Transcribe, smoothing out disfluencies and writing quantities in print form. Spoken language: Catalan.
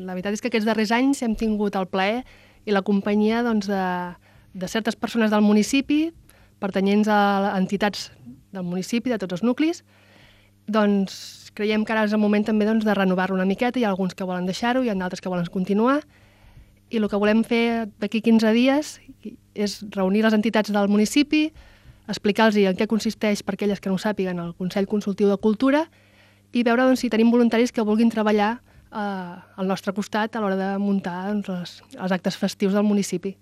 La veritat és que aquests darrers anys hem tingut el plaer i la companyia de certes persones del municipi, pertanyents a entitats del municipi, de tots els nuclis. Doncs creiem que ara és el moment també de renovar-lo una miqueta. Hi ha alguns que volen deixar-ho, hi ha d'altres que volen continuar. I el que volem fer d'aquí 15 dies és reunir les entitats del municipi, explicar-los en què consisteix, per aquelles que no ho sàpiguen, el Consell Consultiu de Cultura, i veure si tenim voluntaris que vulguin treballar al nostre costat a l'hora de muntar els actes festius del municipi.